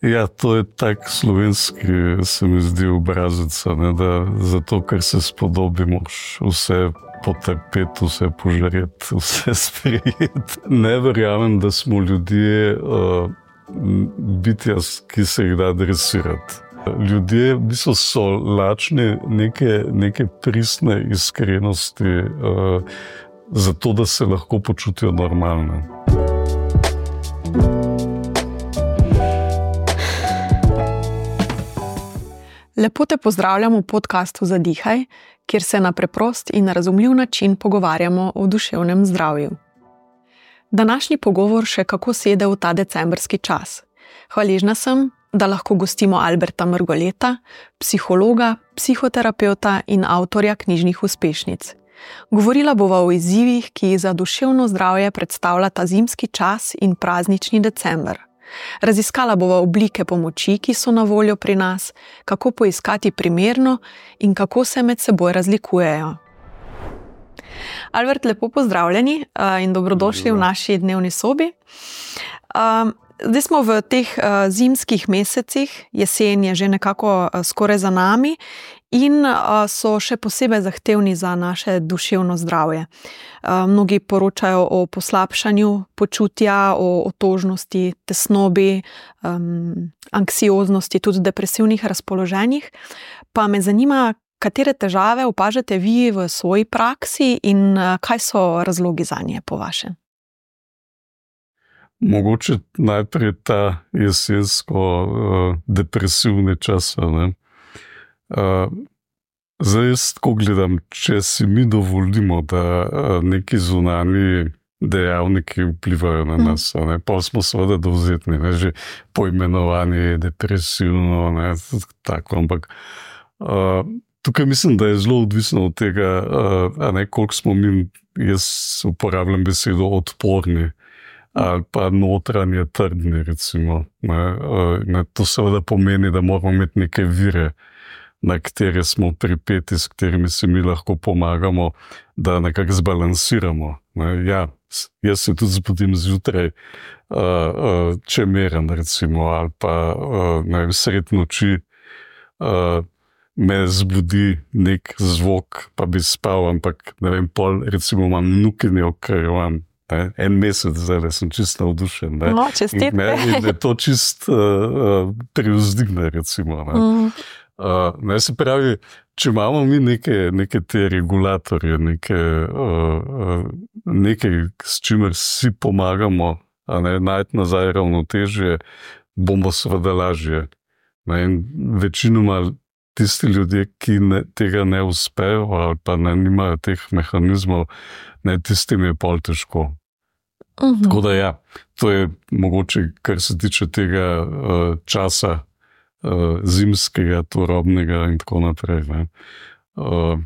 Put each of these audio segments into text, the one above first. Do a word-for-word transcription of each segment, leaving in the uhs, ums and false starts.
Ja, to je tak slovenski, se mi zdi, obrazec, ne, da zato, ker se spodobi, moraš vse potrpeti, vse požreti, vse sprejeti. Ne verjamem, da smo ljudje uh, bitja, ki se jih da dresirati. Ljudje v bistvu so lačni neke, neke pristne iskrenosti, uh, zato, da se lahko počutijo normalno. Lepo te pozdravljam v podcastu Zadihaj, kjer se na preprost in razumljiv način pogovarjamo o duševnem zdravju. Današnji pogovor še kako sede v ta decembrski čas. Hvaležna sem, da lahko gostimo Alberta Mrgoleta, psihologa, psihoterapeuta in avtorja knjižnih uspešnic. Govorila bova o izzivih, ki jih za duševno zdravje predstavlja ta zimski čas in praznični december. Raziskala bova oblike pomoči, ki so na voljo pri nas, kako poiskati primerno in kako se med seboj razlikujejo. Albert, lepo pozdravljeni in dobrodošli v naši dnevni sobi. Zdaj smo v teh zimskih mesecih, jesen je že nekako skoraj za nami in so še posebej zahtevni za naše duševno zdravje. Mnogi poročajo o poslabšanju počutja, o otožnosti, tesnobi, anksioznosti, tudi depresivnih razpoloženjih. Pa me zanima, katere težave opažate vi v svoji praksi in kaj so razlogi zanje po vašem? Mogoče najprej ta jesensko uh, depresivni čas. Ne? Uh, zdaj jaz tako gledam, če si mi dovolimo, da uh, neki zunanji dejavniki vplivajo na nas, ne? Pa smo seveda dovzetni, ne? Že poimenovanje depresivno, ne? Tako, ampak uh, tukaj mislim, da je zelo odvisno od tega, uh, a ne, koliko smo mi, jaz uporabljam besedo odporni, ali pa notranje trdni, recimo. Ne, ne, to seveda pomeni, da moramo imeti neke vire, na katere smo pripeti, s katerimi se mi lahko pomagamo, da nekako zbalansiramo. Ne, ja, jaz se tudi zbudim zjutraj, uh, uh, če meren, recimo, ali pa uh, ne vem, sred noči uh, me zbudi nek zvok, pa bi spal, ampak ne vem, pol, recimo, imam nukinjo, ker imam Ne, en mesec zdaj, da sem čist navdušen. Ne. No, čestitke. In, ne, in je to čist uh, privzdigne, recimo. Ne. Mm. Uh, ne, se pravi, če imamo mi neke, neke te regulatorje, neke, uh, nekaj, s čimer si pomagamo, a ne, najti nazaj ravnotežje, bomo seveda lažje. Ne, in večinoma tisti ljudje, ki ne, tega ne uspejo ali pa ne nimajo teh mehanizmov, ne, tistim je pol težko. Uh-huh. Tako da ja, to je mogoče, kar se tiče tega uh, časa uh, zimskega, turobnega in tako naprej. Ne. Uh,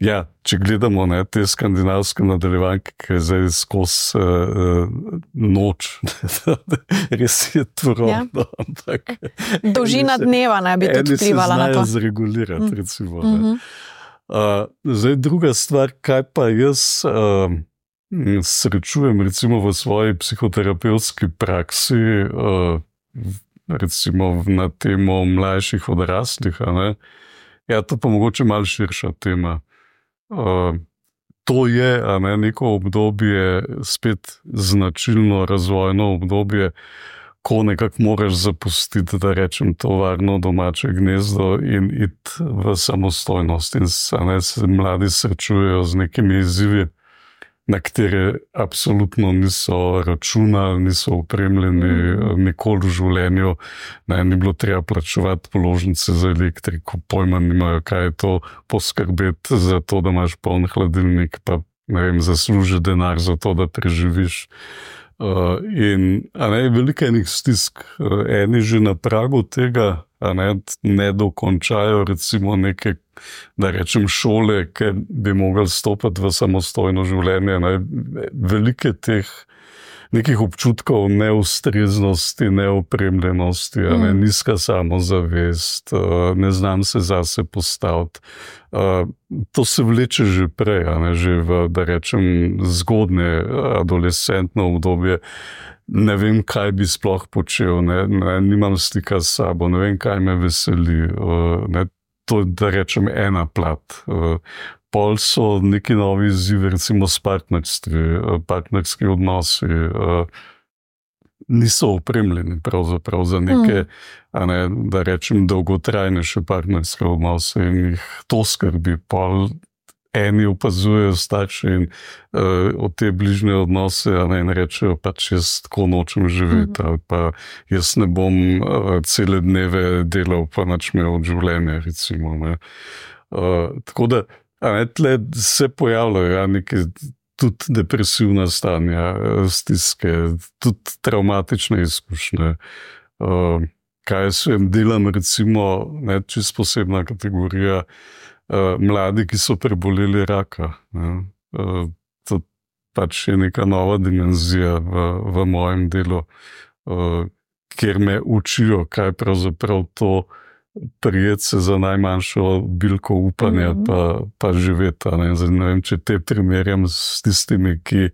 ja, če gledamo ne, te skandinavske nadaljevanke, ki je zdaj skozi uh, noč, res je turobno, ja. Ampak dolžina dneva ne bi tudi vplivala na to. Eni se znajo zregulirati, recimo. Uh-huh. Uh, zdaj druga stvar, kaj pa jaz uh, srečujem recimo v svoji psihoterapevtski praksi, uh, recimo na temo mlajših odraslih, a ne? Ja, to pa mogoče malo širša tema. Uh, to je a ne, neko obdobje, spet značilno razvojno obdobje, ko nekako moraš zapustiti, da rečem, to varno domače gnezdo in iti v samostojnost. In ne, se mladi srečujejo z nekimi izzivi, na katere absolutno niso računali, niso opremljeni mm. nikoli v življenju. Ne, ni bilo treba plačevati položnice za elektriko, pojma nimajo, kaj je to, poskrbeti za to, da imaš poln hladilnik, pa ne vem, zasluži denar za to, da preživiš. Uh, in a ne, veliko enih stisk, uh, eni že na pragu tega, a ne, ne dokončajo recimo neke, da rečem, šole, ker bi mogli stopiti v samostojno življenje. Ne, velike teh nekih občutkov neustreznosti, neopremljenosti, mm. ne, nizka samozavest, ne znam se zase postaviti. To se vleče že prej, ne, že v, da rečem, zgodne adolescentno obdobje, ne vem, kaj bi sploh počel, ne, ne, nimam stika s sabo, ne vem, kaj me veseli. Ne, to je, da rečem, ena plat. Pol so neki novi izzivi, recimo s partnerstvi, partnerski odnosi, niso opremljeni pravzaprav za neke, mm. a ne, da rečem, dolgotrajnejše partnerske odnose in jih to skrbi. Pol eni opazujejo starši in uh, od te bližnje odnose, a ne, in rečejo, pač jaz tako nočem živeti, mm. ali pa jaz ne bom uh, cele dneve delal, pa nič imel od življenja, recimo. Ne. Uh, tako da, a ne, tle se pojavljajo, ja, neke tudi depresivna stanja, stiske, tudi traumatične izkušnje. Uh, kaj se jim delam, recimo, ne, čist posebna kategorija, uh, mladi, ki so preboleli raka. Ne. Uh, to pač je neka nova dimenzija v, v mojem delu, uh, kjer me učijo, kaj pravzaprav to prijeti se za najmanjšo bilko upanja, mm-hmm. pa, pa živeti. Ne? Zdaj, ne vem, če te primerjam s tistimi, ki,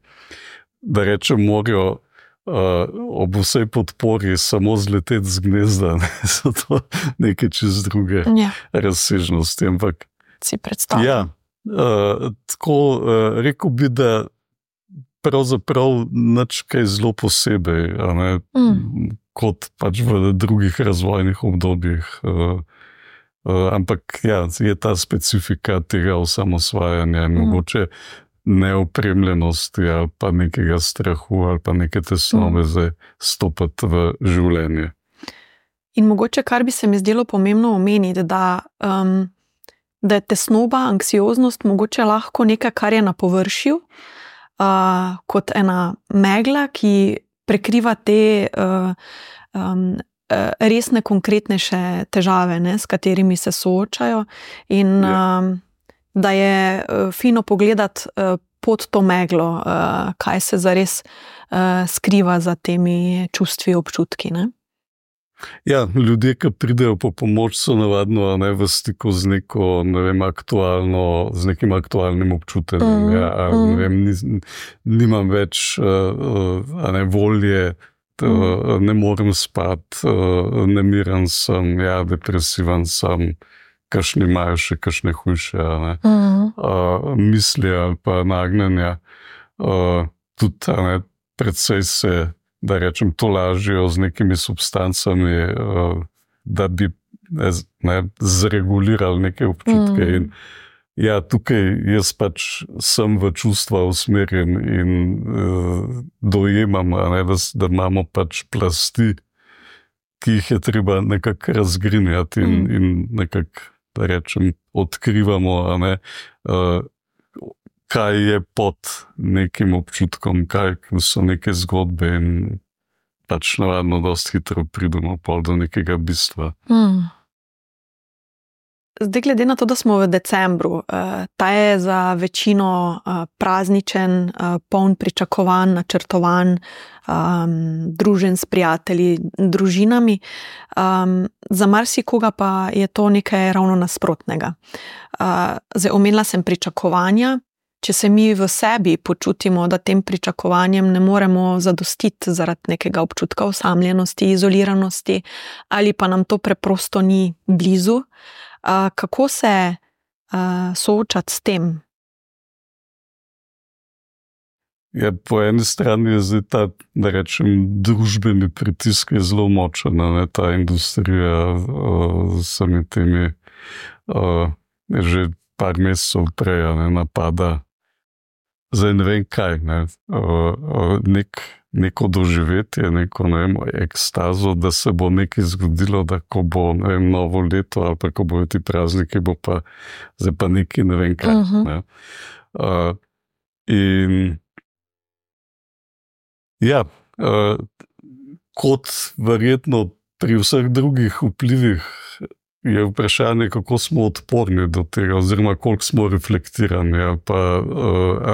da rečem, morajo uh, ob vsej podpori samo zleteti z gnezda. Ne? So to neke čez druge ja. razsežnosti. Ampak, si predstavljam. Ja, uh, tako uh, rekel bi, da pravzaprav nič kaj zelo posebej, a ne, mm. kot pač v drugih razvojnih obdobjih. Uh, uh, ampak ja, je ta specifika tega osamosvajanja, mm. mogoče neopremljenosti ali pa nekega strahu ali pa neke tesnobe mm. za stopati v življenje. In mogoče, kar bi se mi zdelo pomembno omeniti, da, um, da je tesnoba, anksioznost mogoče lahko nekaj, kar je na površju, uh, kot ena megla, ki prekriva te uh, um, resne, konkretnejše težave, ne, s katerimi se soočajo in ja. um, da je uh, fino pogledati uh, pod to meglo, uh, kaj se zares uh, skriva za temi čustvi, občutki. Ne? Ja, ljudje, ki pridejo po pomoč, so navadno ne, v stiku z neko, ne vem, aktualno, z nekim aktualnim občutenjem. Mm, ja, mm. ne vem, nis, nimam več uh, a ne, volje, t, mm. ne morem spati, uh, nemiren sem, ja, depresivan sem, kakšni imajo še kakšne hujše, ne, mm. uh, misli ali pa nagnjenja. Uh, tudi, a ne, predvsej se, da rečem, to lažijo z nekimi substancami, da bi ne, zregulirali neke občutke. Mm. In ja, tukaj jaz pač sem v čustva usmerjen in uh, dojemam, ne, da, da imamo pač plasti, ki jih je treba nekako razgrinjati in, mm. in nekako, da rečem, odkrivamo, ne, uh, kaj je pod nekim občutkom, kaj so neke zgodbe in pač navadno dosti hitro pridemo pol do nekega bistva. Hmm. Zdaj, glede na to, da smo v decembru, ta je za večino prazničen, poln pričakovan, načrtovan, družen s prijatelji, družinami. Za marsikoga pa je to nekaj ravno nasprotnega. Zdaj, omenila sem pričakovanja. Če se mi v sebi počutimo, da tem pričakovanjem ne moremo zadostiti zaradi nekega občutka osamljenosti, izoliranosti, ali pa nam to preprosto ni blizu, kako se soočati s tem? Ja, po eni strani je zdaj ta, da rečem, družbeni pritisk je zelo močen, ne, ta industrija uh, s vsemi temi uh, že par mesecev prej ne, napada. Zdaj ne vem kaj, ne, Nek, neko doživetje, neko, ne vem, ekstazo, da se bo nekaj zgodilo, da ko bo, ne vem, novo leto ali pa ko bojo ti prazniki, bo pa zdaj pa nekaj, ne vem kaj. Uh-huh. Ne. Uh, in ja, uh, kot verjetno pri vseh drugih vplivih je vprašanje, kako smo odporni do tega, oziroma koliko smo reflektirani, ali pa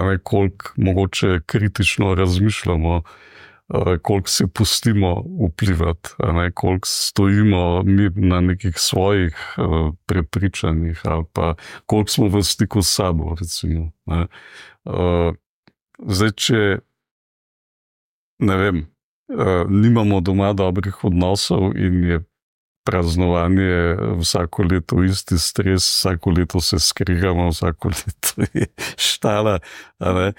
ne, koliko mogoče kritično razmišljamo, koliko se pustimo vplivati, ne, koliko stojimo mi na nekih svojih prepričanjih, ali pa koliko smo v stiku s sabo, recimo. Ne. Zdaj, če ne vem, uh, nimamo doma dobrih odnosov in je praznovanje vsako leto isti stres, vsako leto se skrigamo, vsako leto je štala. Uh,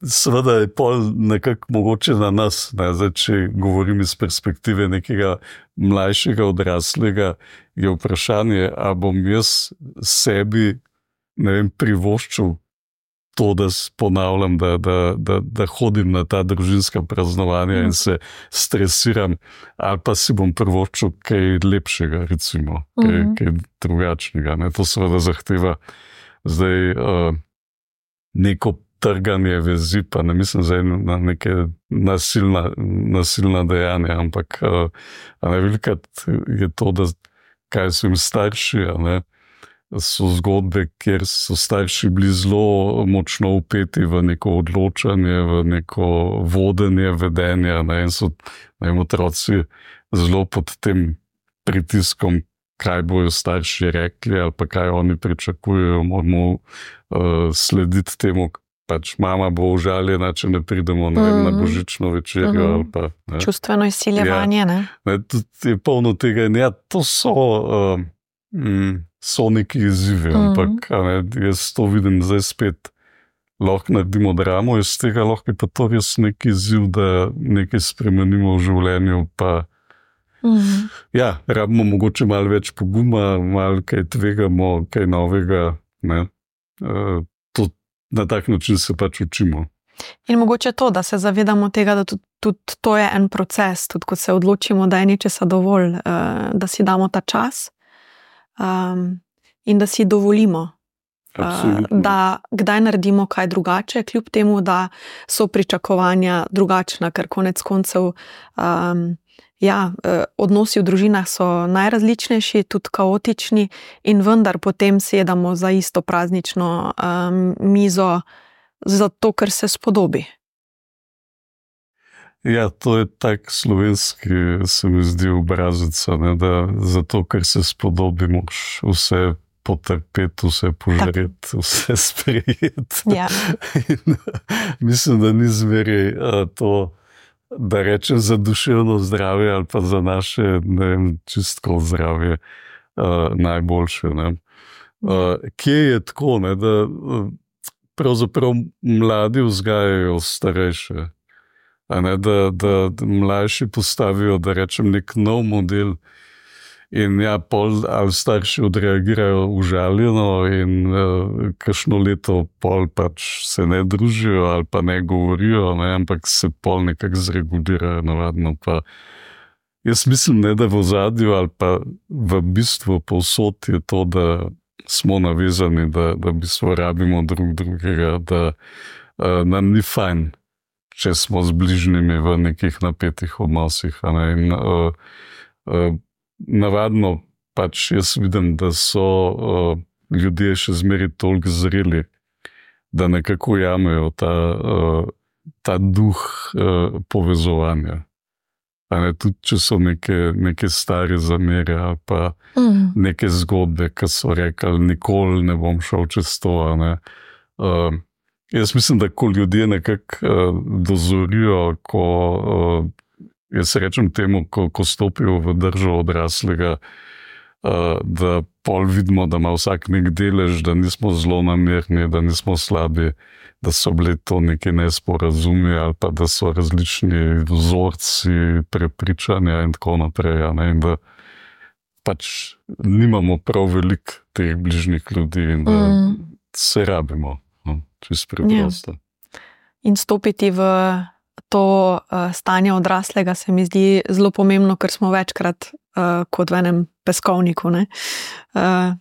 seveda je pol nekako mogoče na nas, ne? Zdaj, če govorim iz perspektive nekega mlajšega odraslega, je vprašanje, a bom jaz sebi, ne vem, privoščil to, da ponavljam, da, da, da, da hodim na ta družinska praznovanja mm. in se stresiram, ali pa si bom privoščil kaj lepšega, recimo, kaj, mm. kaj drugačnega. Ne? To seveda zahteva zdaj uh, neko trganje vezi, pa ne mislim zdaj na neke nasilna, nasilna dejanja, ampak uh, a ne velikrat je to, da kaj so jim starši, a ne, so zgodbe, kjer so starši bili zelo močno upeti v neko odločanje, v neko vodenje, vedenje, ne, in so ne, otroci zelo pod tem pritiskom, kaj bojo starši rekli ali pa kaj oni pričakujejo, moramo uh, slediti temu, pač mama bo užaljena, če ne pridemo ne, mm. na božično večerjo. Mm. Ali pa, ne. Čustveno izsiljevanje, ja, ne? ne? Je polno tega in ja, to so... Uh, Mm, so neki izzivi, mm. ampak ne, jaz to vidim zdaj spet, lahko naredimo dramo iz tega, lahko je pa to res neki izziv, da nekaj spremenimo v življenju, pa mm. ja, rabimo mogoče malo več poguma, malo kaj tvegamo, kaj novega, ne, e, to, na tak način se pač učimo. In mogoče to, da se zavedamo tega, da tudi, tudi to je en proces, tudi ko se odločimo, da je nečesa dovolj, da si damo ta čas, Um, in da si dovolimo, uh, da kdaj naredimo kaj drugače, kljub temu, da so pričakovanja drugačna, ker konec koncev um, ja, odnosi v družinah so najrazličnejši, tudi kaotični in vendar potem sedamo za isto praznično um, mizo zato, ker se spodobi. Ja, to je tak slovenski, se mi zdi, obrazec, ne, da zato, ker se spodobi, moraš vse potrpeti, vse požreti, vse sprejeti. Ja. In, mislim, da ni zmeraj to, da rečem za duševno zdravje ali pa za naše, ne vem, čistko zdravje uh, najboljše. Ne. Uh, kje je tako, ne, da uh, pravzaprav mladi vzgajajo starejše? Ne, da, da, da mlajši postavijo, da rečem, nek nov model in ja, pol ali starši odreagirajo užaljeno in uh, kakšno leto pol pač se ne družijo ali pa ne govorijo, ne, ampak se pol nekako zregulirajo navadno. Pa jaz mislim, ne, da v ozadju ali pa v bistvu povsod je to, da smo navezani, da, da v bistvu rabimo drug drugega, da uh, nam ni fajn, če smo z bližnjimi v nekih napetih odnosih. Ne? In, uh, uh, navadno pač jaz vidim, da so uh, ljudje še zmeraj toliko zreli, da nekako jamejo ta, uh, ta duh uh, povezovanja. Ne? Tudi če so neke, neke stare zamere ali pa mm. neke zgodbe, ki so rekli, nikoli ne bom šel čez to. Ne? Uh, Jaz mislim, da ko ljudje nekako uh, dozorijo, ko, uh, jaz rečem temu, ko, ko stopijo v držo odraslega, uh, da pol vidimo, da ima vsak nek delež, da nismo zelo namerni, da nismo slabi, da so bili to neki nesporazumi ali pa da so različni vzorci prepričanja in tako naprej. Ne? In da pač nimamo prav veliko teh bližnjih ljudi in da mm. se rabimo. Čisto preprosto. Ja. In stopiti v to uh, stanje odraslega se mi zdi zelo pomembno, ker smo večkrat uh, kot v enem peskovniku, ne, uh,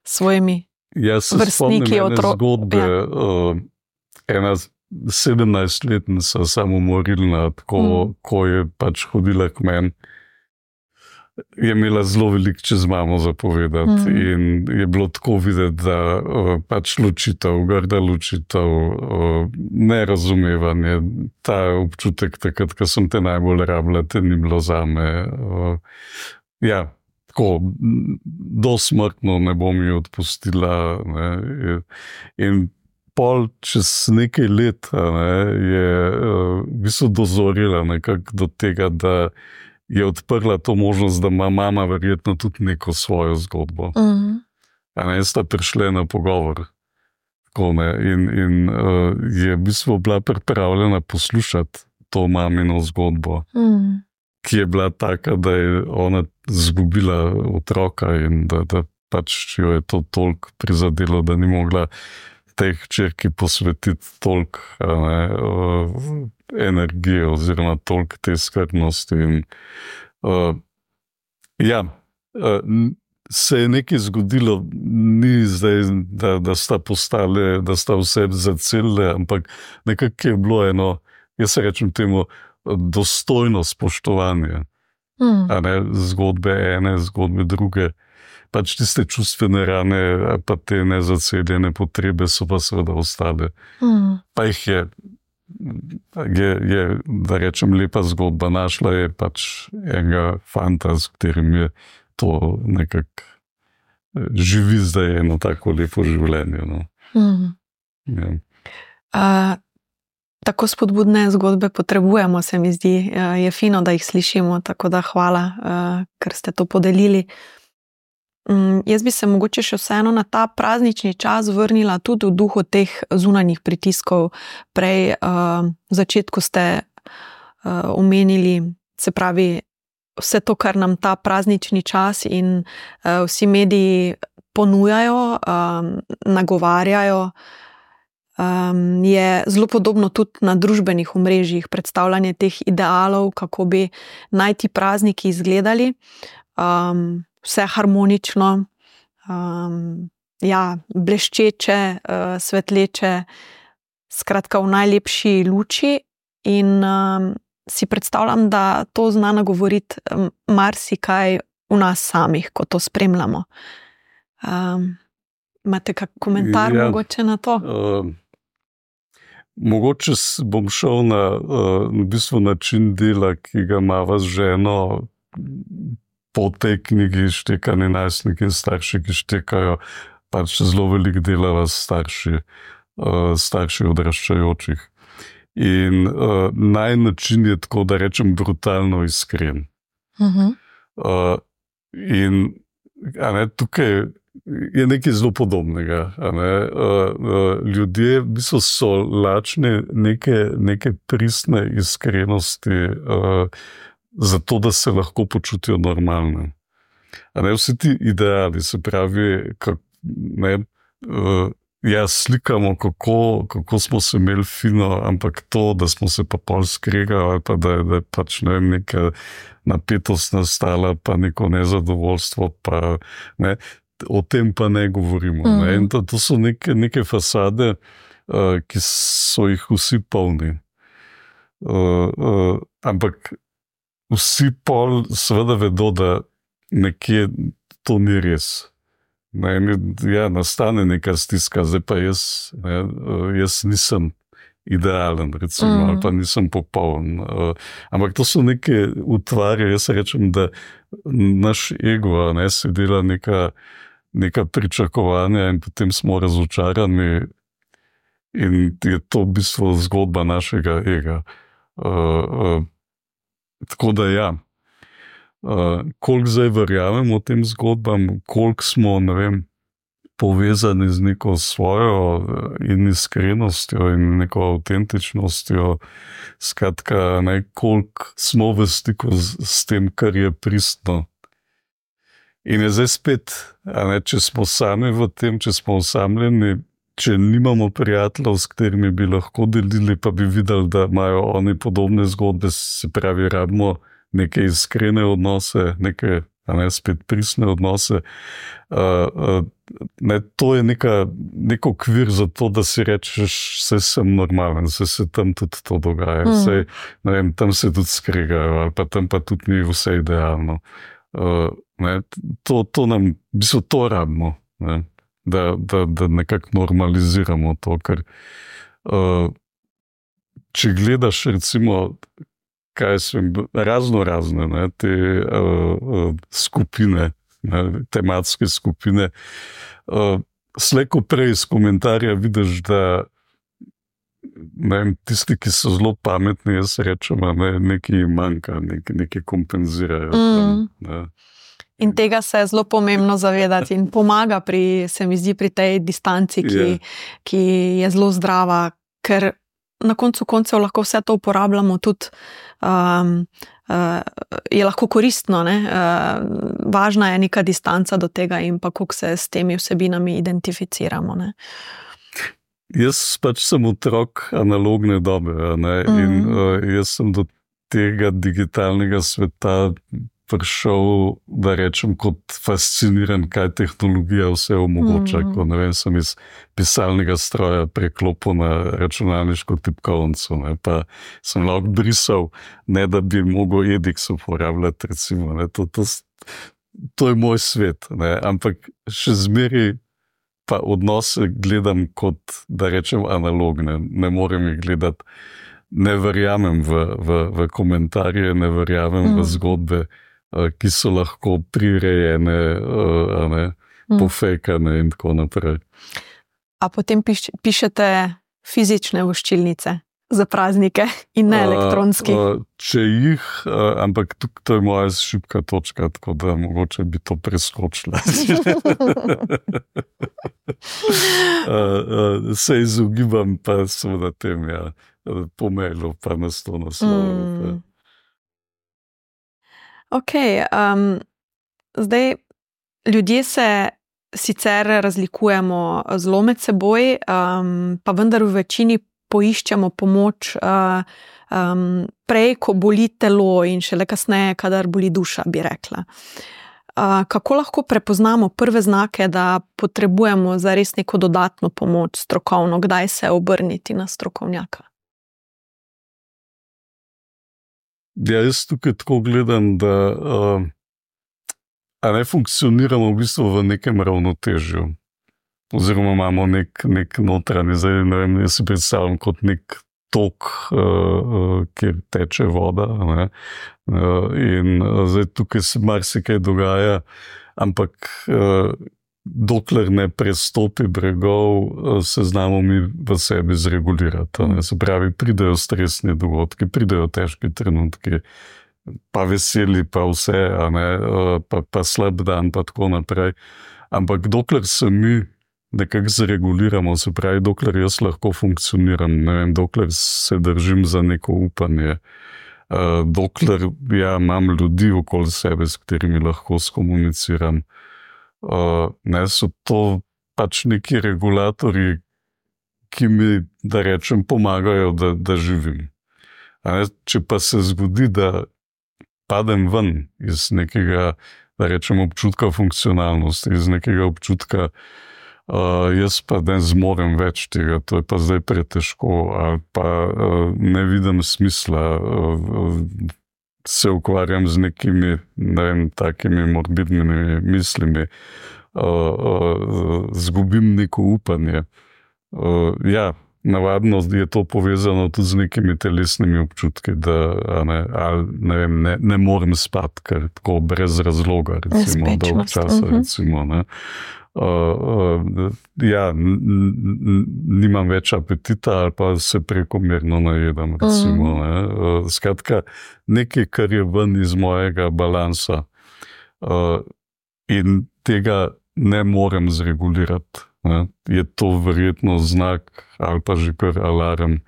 svojimi ja, vrstniki otrok. Zgodbe, ja. uh, ena sedemnajstletnica samomorilna, tako, mm. ko je pač hodila k meni, je imela zelo veliko čez mamo zapovedati mm. in je bilo tako videti, da uh, pač ločitev, grda ločitev, uh, nerazumevanje, ta občutek takrat, ko sem te najbolj rabila, te ni bilo zame. Uh, ja, tako, dosmrtno ne bom ji odpustila. Ne, in pol čez nekaj let ne, je uh, v bistvu dozorila nekako do tega, da je odprla to možnost, da ima mama verjetno tudi neko svojo zgodbo. Uh-huh. A ne, sta prišli na pogovor. Tako, ne, in in uh, je v bistvu bila pripravljena poslušati to mamino zgodbo, uh-huh. ki je bila taka, da je ona zgubila otroka in da, da pač jo je to toliko prizadelo, da ni mogla tej hčerki posvetiti toliko ne, uh, energije oziroma toliko te skrbnosti. In, uh, ja, uh, se je nekaj zgodilo, ni zdaj, da, da sta postale, da sta vse zacelile, ampak nekako je bilo eno, jaz se rečem temu, dostojno spoštovanje. Mm. A ne, zgodbe ene, zgodbe druge. Pač tiste čustvene rane, pa te nezaceljene potrebe so pa seveda ostale. Mm. Pa jih je, je, je, da rečem, lepa zgodba našla, je pač enega fanta, s katerim je to nekako živi zdaj eno tako lepo življenje. No. Mm. Ja. Uh, tako spodbudne zgodbe potrebujemo, se mi zdi. Uh, je fino, da jih slišimo, tako da hvala, uh, ker ste to podelili. Um, jaz bi se mogoče še vseeno na ta praznični čas vrnila tudi v duhu teh zunanjih pritiskov. Prej uh, v začetku ste uh, omenili, se pravi, vse to, kar nam ta praznični čas in uh, vsi mediji ponujajo, um, nagovarjajo, um, je zelo podobno tudi na družbenih omrežjih, predstavljanje teh idealov, kako bi naj ti prazniki izgledali. Um, vse harmonično, um, ja, bleščeče, uh, svetleče, skratka v najlepši luči in um, si predstavljam, da to zna nagovoriti um, marsikaj v nas samih, ko to spremljamo. Um, imate kak komentar ja, mogoče na to? Uh, mogoče bom šel na uh, v bistvu način dela, ki ga imava z ženo po tej knjigi Štekani najstniki in starši, ki štekajo, pač zelo veliko delava starši, uh, starši odraščajočih. In uh, naj način je tako, da rečem, brutalno iskren. Uh-huh. Uh, in a ne, tukaj je nekaj zelo podobnega. A ne, uh, uh, ljudje v bistvu so lačni neke, neke pristne iskrenosti, uh, zato, da se lahko počutijo normalne. A ne, vsi ti ideali, se pravi, kak, ne, uh, ja, slikamo, kako, kako smo se imeli fino, ampak to, da smo se pa pol skregali, ali pa da, da je pač, ne vem, neka napetost nastala, pa neko nezadovoljstvo, pa ne, o tem pa ne govorimo. Mm. Ne, in to, to so neke, neke fasade, uh, ki so jih vsi polni. Uh, uh, ampak vsi pol seveda vedo, da nekje to ni res. Ne, ja, nastane neka stiska, zdaj pa jaz, ne, jaz nisem idealen, recimo, mm. ali pa nisem popoln. Ampak to so neke utvarje, jaz rečem, da naš ego, ne, se dela neka, neka pričakovanja in potem smo razočarani in je to v bistvu zgodba našega ega. Uh, uh, tako da ja, Uh, koliko zdaj verjamemo tem zgodbam, koliko smo, ne vem, povezani z neko svojo in iskrenostjo in neko avtentičnostjo, skratka, ne, koliko smo v stiku z, s tem, kar je pristno. In je zdaj spet, a ne, če smo sami v tem, če smo osamljeni, če nimamo prijateljev, s katerimi bi lahko delili, pa bi videli, da imajo oni podobne zgodbe, se pravi, rabimo neke iskrene odnose, neke, a ne, spet pristne odnose. Uh, uh, ne, to je neka, nek okvir za to, da si rečeš, vse sem normalen, vse se tam tudi to dogaja, mm. vse, ne vem, tam se tudi skregajo, ali pa tam pa tudi ni vse idealno. Uh, ne, to, to nam, v bistvu to rabimo, ne, da, da, da nekako normaliziramo to, ker uh, če gledaš recimo kaj sem, razno razne, ne, te uh, uh, skupine, ne, tematske skupine. Uh, slejko prej iz komentarja vidiš, da ne vem, tisti, ki so zelo pametni, jaz rečem, ne, nekaj manjka, nekaj, nekaj kompenzirajo. Mm. Ne. In tega se je zelo pomembno zavedati in pomaga pri, se mi zdi, pri tej distanci, ki, Yeah. ki je zelo zdrava, ker na koncu koncev lahko vse to uporabljamo tudi, um, uh, je lahko koristno, ne? Uh, važna je neka distanca do tega in pa kako se s temi vsebinami identificiramo, ne? Jaz pač sem otrok analogne dobe, a ne, Mhm. in uh, jaz sem do tega digitalnega sveta prišel, da rečem, kot fasciniran, kaj tehnologija vse omogoča, Mhm. ko ne vem, sem iz pisalnega stroja preklopil na računalniško tipkovnico, ne, pa sem lahko brisal, ne da bi mogel Edix uporabljati, recimo, ne, to, to, s- to je moj svet, ne, ampak še zmeraj pa odnose gledam kot, da rečem, analogne, ne morem jih gledati, ne verjamem v, v, v komentarje, ne verjamem Mm. v zgodbe, eh, ki so lahko prirejene, eh, a ne, Mm. pofejkane in tako naprej. A potem piš, pišete fizične voščilnice za praznike in ne elektronski. A, a, če jih, a, ampak tuk, to je moja šibka točka, tako da mogoče bi to preskočila. A, a, se izogibam pa seveda tem, ja, po mailu pa na sto naslovov. Mm. Ok, um, zdaj ljudje se sicer razlikujemo zelo med seboj, um, pa vendar v večini poiščemo pomoč uh, um, prej, ko boli telo in šele kasneje, kadar boli duša, bi rekla. Uh, kako lahko prepoznamo prve znake, da potrebujemo za res neko dodatno pomoč strokovno, kdaj se obrniti na strokovnjaka? Ja, jaz tukaj tako gledam, da uh, a ne funkcioniramo v bistvu v nekem ravnotežju. Oziroma imamo nek, nek notranji, zdaj ne vem, jaz si predstavljam kot nek tok, uh, uh, kjer teče voda. Ne? Uh, in uh, zdaj tukaj se marsikaj dogaja, ampak uh, dokler ne prestopi bregov, uh, se znamo mi v sebi zregulirati. Ne? Se pravi, pridejo stresni dogodki, pridejo težki trenutki, pa veseli, pa vse, a ne, uh, pa, pa slab dan, pa tako naprej. Ampak dokler se mi nekako zreguliramo, se pravi, dokler jaz lahko funkcioniram, ne vem, dokler se držim za neko upanje, uh, dokler ja, imam ljudi okoli sebe, s katerimi lahko skomuniciram, uh, ne, so to pač neki regulatorji, ki mi, da rečem, pomagajo, da, da živim. A ne, če pa se zgodi, da padem ven iz nekega, da rečem, občutka funkcionalnosti, iz nekega občutka, Uh, jaz pa ne zmorem več tega, to je pa zdaj pretežko, ali pa uh, ne vidim smisla, uh, se ukvarjam z nekimi, ne vem, takimi morbidnimi mislimi, uh, uh, zgubim neko upanje. Uh, ja, navadno je to povezano tudi z nekimi telesnimi občutki, da ne, ali, ne, vem, ne, ne morem spati, ker tako brez razloga, recimo, dolgo časa, uh-huh. recimo, ne. Uh, uh, ja, n, n, nimam več apetita ali pa se prekomerno najedam, recimo, Mm. ne. Uh, skratka, nekaj, kar je ven iz mojega balansa, uh, in tega ne morem zregulirati, ne. Je to verjetno znak ali pa že kar alarm,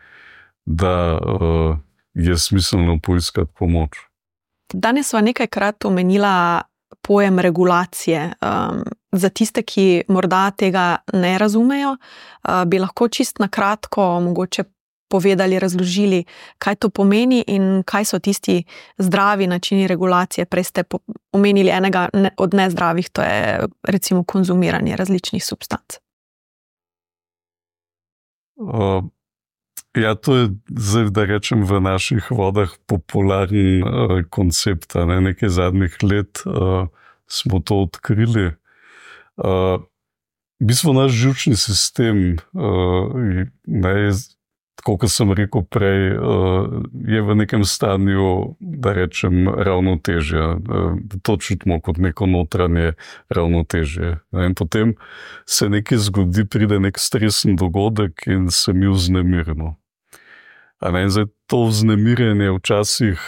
da uh, je smiselno poiskati pomoč. Danes sva nekajkrat omenila pojem regulacije. Um, za tiste, ki morda tega ne razumejo, uh, bi lahko čist na kratko mogoče povedali, razložili, kaj to pomeni in kaj so tisti zdravi načini regulacije. Prej ste omenili enega od nezdravih, to je recimo konzumiranje različnih substanc. Uh, ja, to je zdaj, da rečem, v naših vodah popularen uh, koncept. Ne? Nekaj zadnjih let uh, smo to odkrili. Uh, v bistvu naš živčni sistem uh, ne, je tako kot sem rekel prej, je v nekem stanju, da rečem, ravnotežja. To čutimo kot neko notranje ravnotežje. In potem se nekaj zgodi, pride nek stresen dogodek in se mi vznemirimo. In zdaj to vznemirjenje včasih,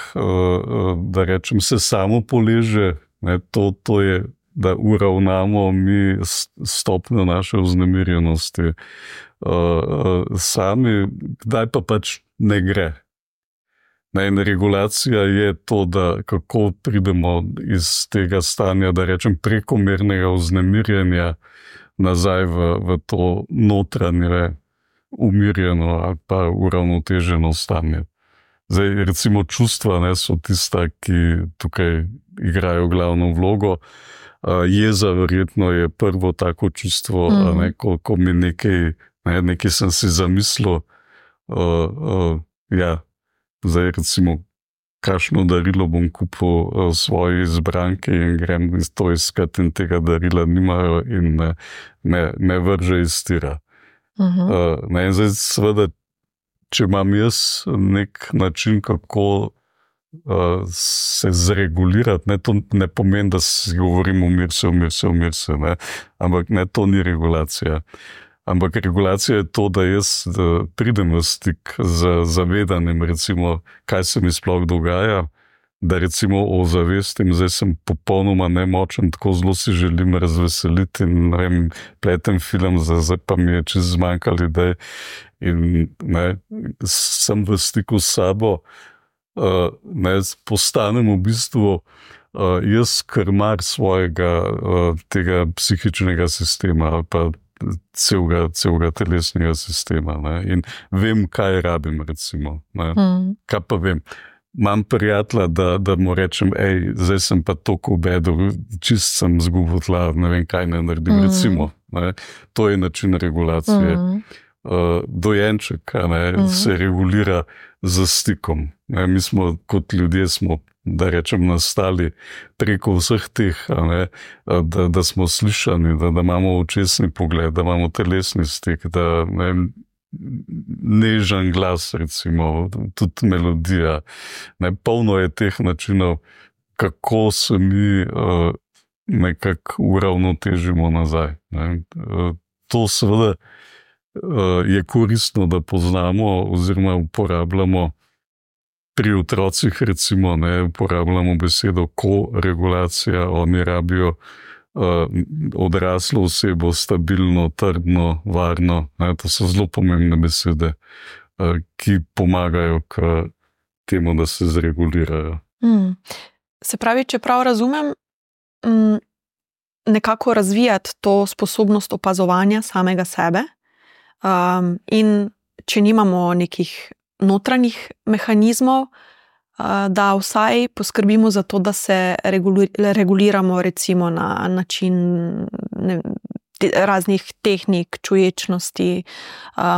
da rečem, se samo poleže, ne, to, to je, da uravnamo mi stopnjo naše vznemirjenosti uh, sami, kdaj pa pač ne gre. Ne, in regulacija je to, da kako pridemo iz tega stanja, da rečem, prekomernega vznemirjenja nazaj v, v to notranje, umirjeno ali pa uravnoteženo stanje. Zdaj, recimo, čustva, ne, so tista, ki tukaj igrajo glavno vlogo. Uh, jeza verjetno je prvo tako čustvo, mm. ne, ko, ko mi nekaj, ne, nekaj sem si zamislil, uh, uh, ja, zdaj recimo, kakšno darilo bom kupil uh, svoji izbranki in grem to iskati in tega darila nimajo in me, me, me vrže iz tira. Uh-huh. Uh, ne, in zdaj seveda, če imam jaz nek način, kako uh, se zregulirati, ne, to ne pomeni, da si govorim umir se, umir se, umir se, ne, ampak ne, to ni regulacija. Ampak regulacija je to, da jaz da pridem v stik z zavedanjem, recimo, kaj se mi sploh dogaja, da recimo ozavestim, zdaj sem popolnoma nemočen, tako zelo si želim razveseliti in ne vem, pletem film, zdaj pa mi je čez zmanjkali idej in ne, sem v stiku s sabo, uh, ne, postanem v bistvu uh, jaz krmar svojega uh, tega psihičnega sistema ali pa celega, celega telesnega sistema, ne, in vem, kaj rabim, recimo, ne, mm. kaj pa vem. Imam prijatelja, da, da mu rečem, ej, zdaj sem pa toliko obedu, čist sem zgubil tla, ne vem, kaj ne naredim, mm. recimo. Ne? To je način regulacije. Mm. Uh, dojenček ne, mm. se regulira z stikom. Ne? Mi smo kot ljudje, smo, da rečem, nastali preko vseh teh, ne, da, da smo slišani, da, da imamo očesni pogled, da imamo telesni stik, da ne, nežen glas, recimo, tudi melodija. Ne, polno je teh načinov, kako se mi uh, nekako uravnotežimo nazaj. Ne. Uh, to seveda uh, je koristno, da poznamo oziroma uporabljamo pri otrocih, recimo, ne, uporabljamo besedo koregulacija, oni rabijo Uh, odraslo osebo, stabilno, trdno, varno. Ne, to so zelo pomembne besede, uh, ki pomagajo k temu, da se zregulirajo. Mm. Se pravi, če prav razumem, mm, nekako razvijati to sposobnost opazovanja samega sebe um, in če nimamo nekih notranjih mehanizmov, da vsaj poskrbimo za to, da se reguliramo recimo na način ne, raznih tehnik, čuječnosti,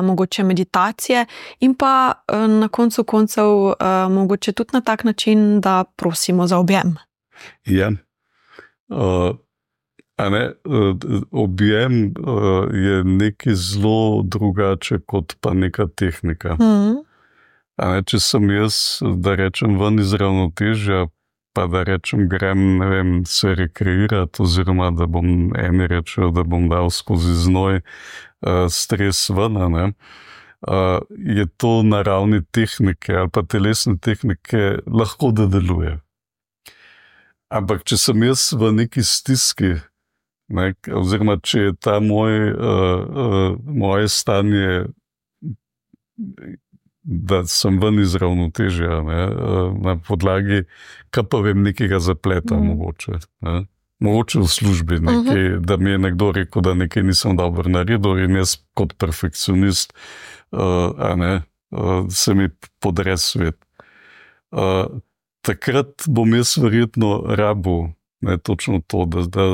mogoče meditacije in pa na koncu koncev mogoče tudi na tak način, da prosimo za objem. Ja. Uh, a ne, objem je nekaj zelo drugače kot pa neka tehnika. Mm. Ne, če sem jaz, da rečem, ven iz ravnotežja, pa da rečem, grem, ne vem, se rekreirati, oziroma da bom eni rečel, da bom dal skozi znoj uh, stres ven, ne, uh, je to na ravni tehnike ali pa telesne tehnike lahko da deluje. Ampak če sem jaz v neki stiski, ne, oziroma če je ta moj, uh, uh, moje stanje, da sem ven iz ravnotežja, ne, na podlagi, kaj pa vem, nekega zapleta, mm. mogoče. Ne. Mogoče v službi, nekaj, uh-huh. da mi je nekdo rekel, da nekaj nisem dobro naredil in jaz kot perfekcionist uh, a ne, uh, se mi podre svet. Uh, takrat bom jaz verjetno rabil, ne, točno to, da, da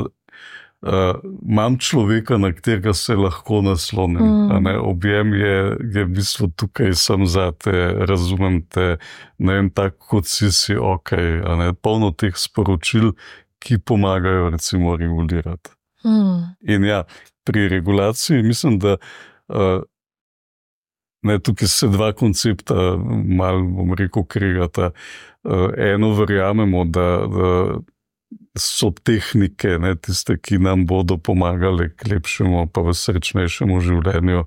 Uh, imam človeka, na katerega se lahko naslonim. Mm. Objem je, je v bistvu tukaj sem za te, razumem te, ne vem, tako kot si si ok, polno teh sporočil, ki pomagajo recimo regulirati. Mm. In ja, pri regulaciji mislim, da uh, Ne, tukaj se dva koncepta malo, bom rekel, kregata. Eno verjamemo, da, da so tehnike, ne, tiste, ki nam bodo pomagale k lepšemu pa v srečnejšemu življenju.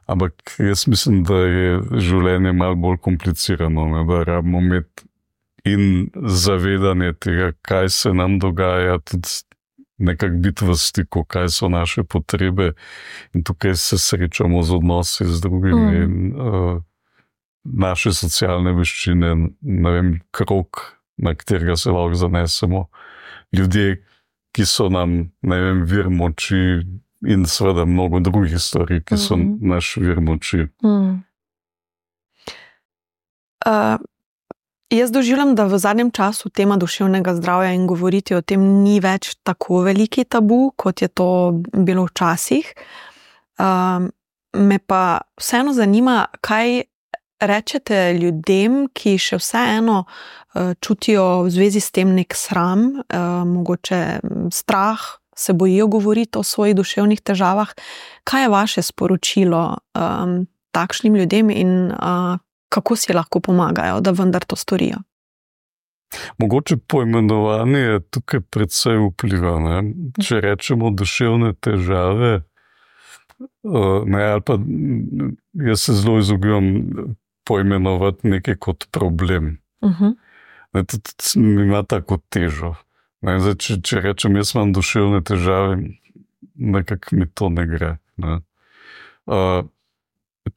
Ampak jaz mislim, da je življenje malo bolj komplicirano, ne, da rabimo imeti in zavedanje tega, kaj se nam dogaja, tudi nekako biti v stiku, kaj so naše potrebe, in tukaj se srečamo z odnosi z drugimi mm. in uh, naše socialne veščine, ne vem, krog, na katerega se lahko zanesemo, ljudje, ki so nam, ne vem, vir moči, in seveda mnogo drugih stvari, ki so mm. naš vir moči. Mm. Uh, Jaz doživljam, da v zadnjem času tema duševnega zdravja in govoriti o tem ni več tako veliki tabu, kot je to bilo včasih. Um, me pa vseeno zanima, kaj rečete ljudem, ki še vseeno uh, čutijo v zvezi s tem nek sram, uh, mogoče strah, se bojijo govoriti o svojih duševnih težavah. Kaj je vaše sporočilo um, takšnim ljudem in uh, kako si lahko pomagajo, da vendar to storijo? Mogoče poimenovanje je tukaj precej vpliva. Ne? Če rečemo duševne težave, ne, ali pa jaz se zelo izogibam poimenovati nekaj kot problem. Uh-huh. Ne, tudi ima tako težo. Ne? Zdaj, če, če rečem, jaz imam duševne težave, nekako mi to ne gre. Ne? Uh,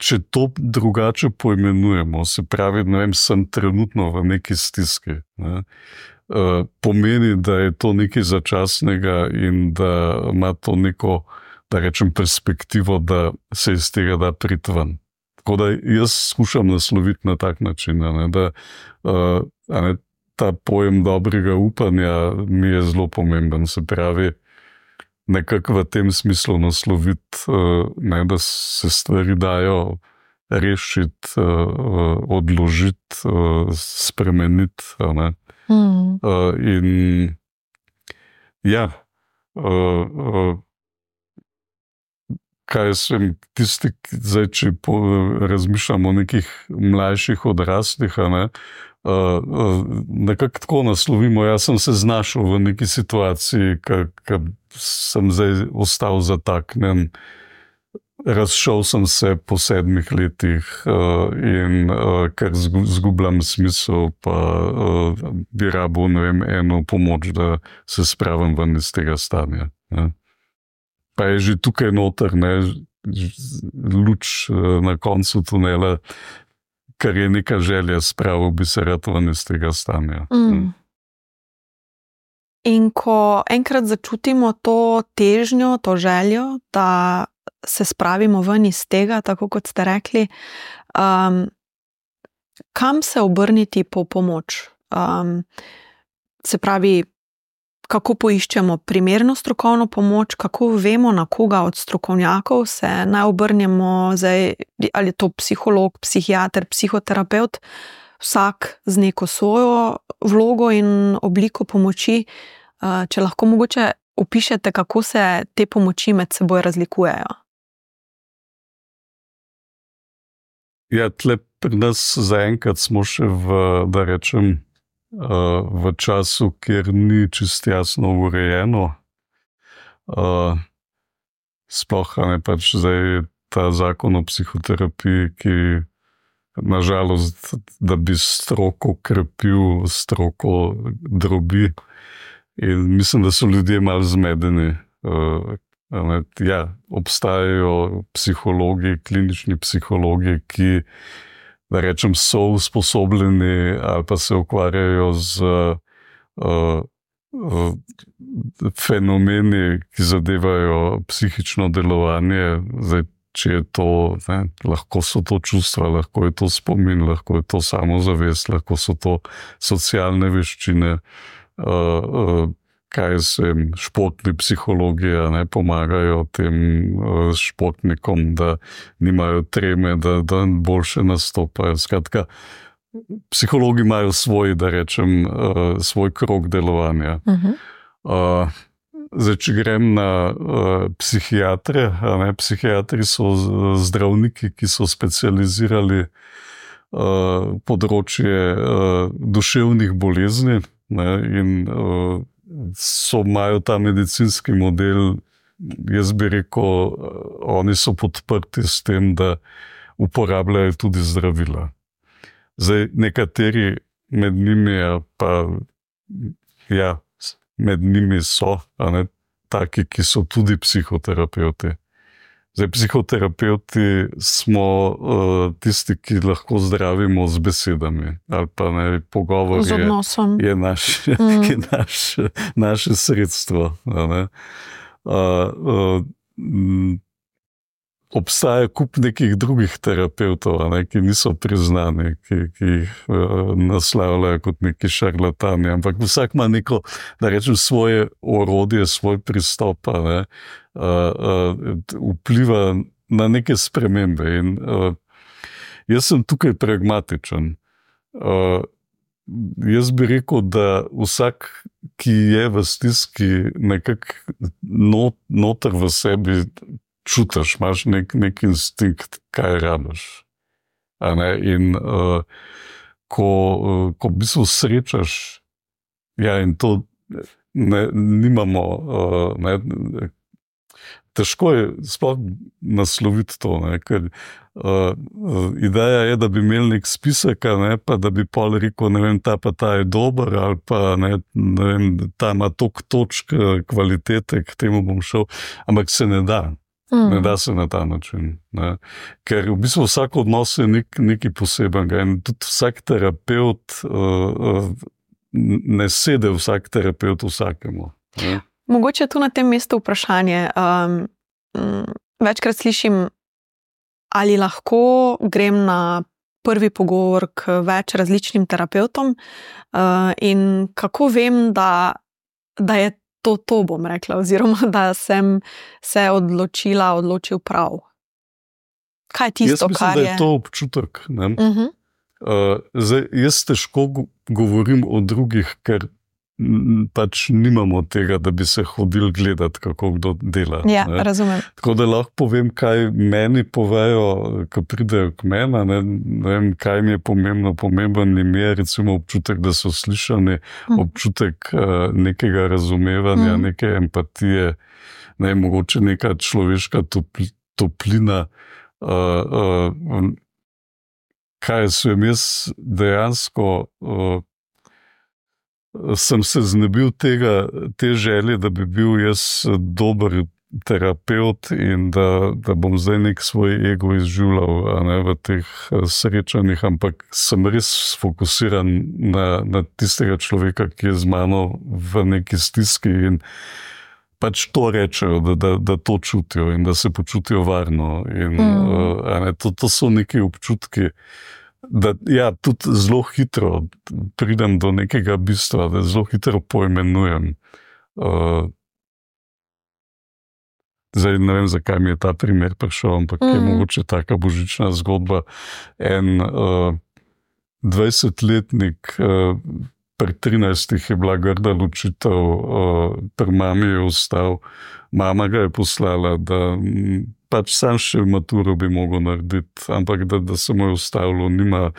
Če to drugače poimenujemo, se pravi, ne vem, sem trenutno v neki stiski, ne, uh, pomeni, da je to nekaj začasnega in da ima to neko, da rečem, perspektivo, da se iz tega da priti ven. Tako da jaz skušam nasloviti na tak način, ne, da uh, ne, ta pojem dobrega upanja mi je zelo pomemben, se pravi, nekako v tem smislu nasloviti, ne, da se stvari dajo rešiti, odložiti, spremeniti. Ne. Mm. In ja, kaj sem tisti, zdaj, če razmišljamo o nekih mlajših odraslih, ne, Uh, uh, nekako tako naslovimo. Jaz sem se znašel v neki situaciji, ki sem zdaj ostal zataknen. Razšel sem se po sedmih letih uh, in uh, ker zgubljam smisel, pa uh, bi rabil, ne vem, eno pomoč, da se spravim ven iz tega stanja. Ne. Pa je že tukaj noter, ne, luč uh, na koncu tunela, kar je neka želja, spravil bi se rad ven iz tega stanja. Mm. In ko enkrat začutimo to težnjo, to željo, da se spravimo ven iz tega, tako kot ste rekli, um, kam se obrniti po pomoč? Um, se pravi, kako poiščemo primerno strokovno pomoč, kako vemo, na koga od strokovnjakov se naj obrnemo, zdaj, ali je to psiholog, psihiater, psihoterapeut, vsak z neko svojo vlogo in obliko pomoči. Če lahko mogoče opišete, kako se te pomoči med seboj razlikujejo. Ja, tle pri nas zaenkrat smo še v, da rečem, v času, kjer ni čisto jasno urejeno. Sploh ne pač zdaj ta zakon o psihoterapiji, ki nažalost, da bi stroko krepil, stroko drobi. In mislim, da so ljudje malo zmedeni. Ja, obstajajo psihologi, klinični psihologi, ki, da rečem, so usposobljeni ali pa se ukvarjajo z uh, uh, fenomeni, ki zadevajo psihično delovanje. Zdaj, če je to, ne, lahko so to čustva, lahko je to spomin, lahko je to samozavest, lahko so to socialne veščine, uh, uh, kaj se športni psihologi ne, pomagajo tem uh, športnikom, da nimajo treme, da, da boljše nastopajo. Skratka, psihologi imajo svoj, da rečem, uh, svoj krog delovanja. Uh-huh. Uh, zdaj, če grem na uh, psihiatre, a ne, psihiatri so zdravniki, ki so specializirali uh, področje uh, duševnih bolezni, ne, in uh, so imajo ta medicinski model, jaz bi rekel, uh, oni so podprti s tem, da uporabljajo tudi zdravila. Zdaj, nekateri med njimi, pa ja, med njimi so, a ne, taki, ki so tudi psihoterapeuti. Zdaj, psihoterapeuti smo uh, tisti, ki lahko zdravimo z besedami, ali pa ne, pogovor z odnosom. Je, je, naš, mm. je naš, naše sredstvo. A ne. Uh, uh, obstaja kup nekih drugih terapeutov, a ne, ki niso priznani, ki, ki jih uh, naslavljajo kot neki šarlatani, ampak vsak ima neko, da rečem, svoje orodje, svoj pristop, a ne, uh, uh, vpliva na neke spremembe. In uh, jaz sem tukaj pragmatičen. Uh, jaz bi rekel, da vsak, ki je v stiski, nekako not, noter v sebi čutiš, imaš nek, nek instinkt, kaj rabiš. A ne? In uh, ko, uh, ko v bistvu srečaš, ja, in to ne, nimamo, uh, ne, težko je sploh nasloviti to, ne, ker uh, ideja je, da bi imeli nek spisek, ne, pa da bi pol rekel, ne vem, ta pa ta je dober, ali pa ne, ne vem, ta ima toliko točk kvalitete, k temu bom šel, ampak se ne da. Mm. Ne da se na ta način. Ne. Ker v bistvu vsak odnos je nek, nekaj posebenega in tudi vsak terapeut, uh, ne sede vsak terapeut vsakemu. Ne. Mogoče tu na tem mestu vprašanje. Um, večkrat slišim, ali lahko grem na prvi pogovor k več različnim terapeutom uh, in kako vem, da, da je To, to bom rekla, oziroma da sem se odločila, odločil prav. Kaj je tisto, mislim, kar je? Jaz mislim, da je to občutek. Ne? Uh-huh. Uh, zdaj, jaz težko govorim o drugih, ker pač nimamo tega, da bi se hodili gledati, kako kdo dela. Ja, ne? razumem. Tako da lahko povem, kaj meni povejo, ko pridejo k meni, ne? Ne vem, kaj mi je pomembno. Pomemben mi je recimo občutek, da so slišani, mm. občutek uh, nekega razumevanja, mm. neke empatije, ne, mogoče neka človeška topl, toplina. Uh, uh, kaj sem jaz dejansko... Uh, sem se znebil tega, te želje, da bi bil jaz dober terapeut in da, da bom zdaj nek svoj ego izživljal, a ne, v teh srečanjih, ampak sem res fokusiran na, na tistega človeka, ki je z mano v neki stiski in pač to rečejo, da, da, da to čutijo in da se počutijo varno. In, mm. a ne, to, to so neki občutki, da ja, tudi zelo hitro pridem do nekega bistva, da zelo hitro poimenujem. Uh, zdaj ne vem, zakaj mi je ta primer prišel, ampak mm. je mogoče taka božična zgodba. En uh, dvajsetletnik, uh, pri trinajstih je bila grda ločitev, uh, pri mami je ostal, mama ga je poslala, da pač sam še maturo bi mogel narediti, ampak da, da se mu je ustavilo, nima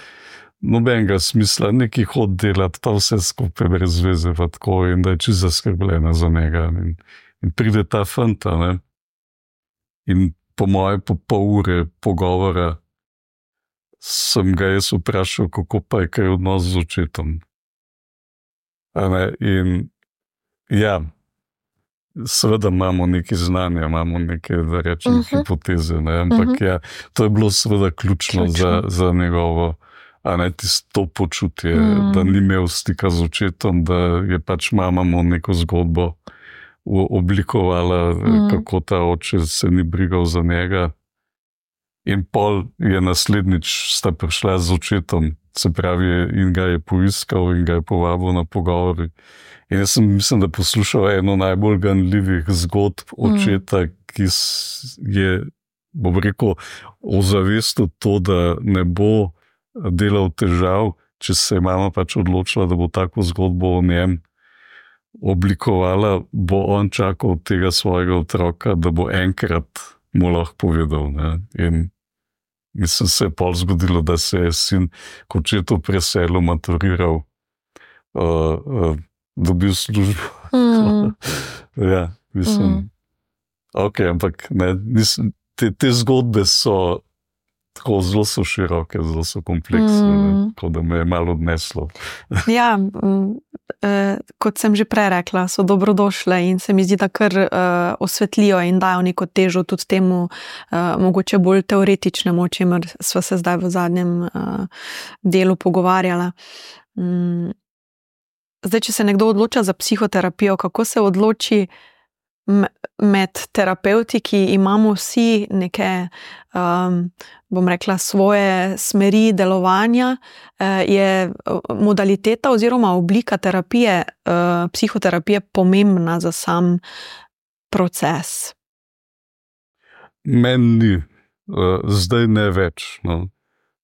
nobenega smisla, neki hod delati, pa vse skupaj brez veze, pa tako, in da je čisto zaskrbljena za njega. In, in pride ta fanta, ne, in po moje po pol ure pogovora sem ga jaz vprašal, kako pa je kaj odnos z očetom. A ne, in ja, seveda imamo neke znanja, imamo neke, da rečem, uh-huh. hipoteze, ne? Ampak uh-huh. ja, to je bilo seveda ključno, ključno. Za, za njegovo, a ne, tisto počutje, uh-huh. da ni imel stika z očetom, da je pač mama mu neko zgodbo oblikovala, uh-huh. kako ta oče se ni brigal za njega. In pol je naslednjič sta prišla z očetom, se pravi, in ga je poiskal in ga je povabil na pogovor. In jaz sem, mislim, da poslušal eno najbolj ganljivih zgodb očeta, mm. ki je, bom rekel, ozavestil to, da ne bo delal težav, če se je mama pač odločila, da bo tako zgodbo o njem oblikovala, bo on čakal od tega svojega otroka, da bo enkrat mu lahko povedal. Ne? In mislim, se je pol zgodilo, da se je sin, ko je to preselil, maturiral, uh, uh, dobil službo. Mm. ja, mislim, mm. ok, ampak ne, mislim, te, te zgodbe so tako zelo so široke, zelo so kompleksne, mm. tako da me je malo odneslo. ja, eh, kot sem že prej rekla, so dobrodošle in se mi zdi, da kar eh, osvetlijo in dajo neko težo tudi temu eh, mogoče bolj teoretičnemu, o čemer sva se zdaj v zadnjem eh, delu pogovarjala. Mm. Zdaj, če se nekdo odloča za psihoterapijo, kako se odloči med terapeuti, ki imamo vsi neke, um, bom rekla, svoje smeri delovanja, je modaliteta oziroma oblika terapije, uh, psihoterapije pomembna za sam proces? Meni ni. Uh, zdaj ne več. No.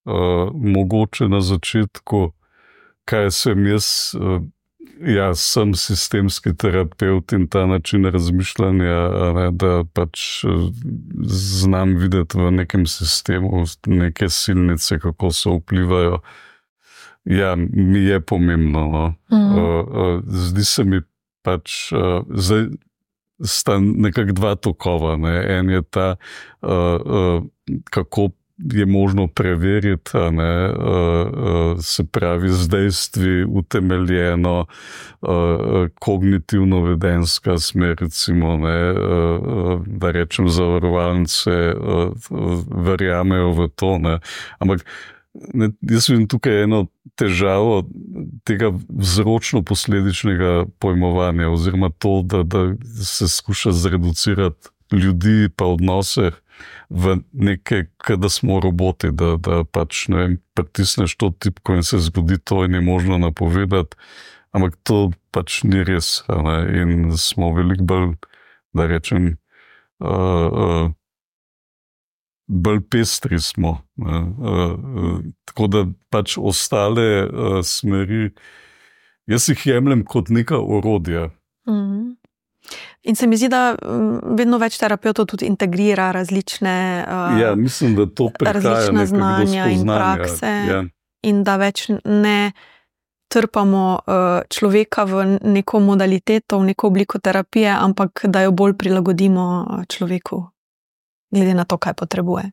Uh, mogoče na začetku, kaj sem jaz... Uh, Ja, sem sistemski terapeut in ta način razmišljanja, ne, da pač znam videti v nekem sistemu neke silnice, kako so vplivajo. Ja, mi je pomembno. No. Mm. Uh, zdi se mi pač, uh, zdaj sta nekako dva tokova. Ne. En je ta, uh, uh, kako je možno preveriti, ne, uh, se pravi z dejstvi utemeljeno, uh, kognitivno-vedenska smer, recimo, ne, uh, da rečem zavarovalnice, uh, verjamejo v to. Ne. Ampak ne, jaz vidim tukaj eno težavo tega vzročno-posledičnega pojmovanja, oziroma to, da, da se skuša zreducirati ljudi pa odnose v neke, da smo roboti, da, da pač, ne vem, pritisneš to tipko in se zgodi to in je možno napovedati, ampak to pač ni res. Ne? In smo veliko bolj, da rečem, uh, uh, bolj pestri smo. Uh, uh, tako da pač ostale uh, smeri, jaz jih jemljem kot neka orodja. Mhm. In se mi zdi, da vedno več terapeutov tudi integrira različne, uh, ja, mislim, da to različne znanja in prakse, ja. In da več ne trpamo uh, človeka v neko modaliteto, v neko obliko terapije, ampak da jo bolj prilagodimo človeku, glede na to, kaj potrebuje.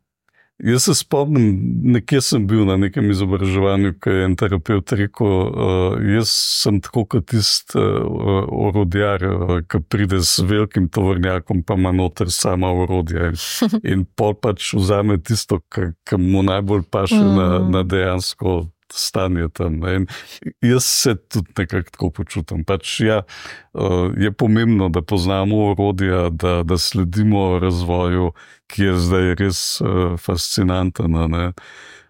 Jaz se spomnim, nekje sem bil na nekem izobraževanju, ko je en terapeut rekel, uh, jaz sem tako kot tist uh, orodjar, uh, ki pride s velikim tovornjakom, pa ima noter sama orodja. In pol pač vzame tisto, ki mu najbolj paše mm. na, na dejansko stanje tam. In jaz se tudi nekako tako počutim. Pač ja, uh, je pomembno, da poznamo orodja, da, da sledimo razvoju, ki je zdaj res uh, fascinanten, ne?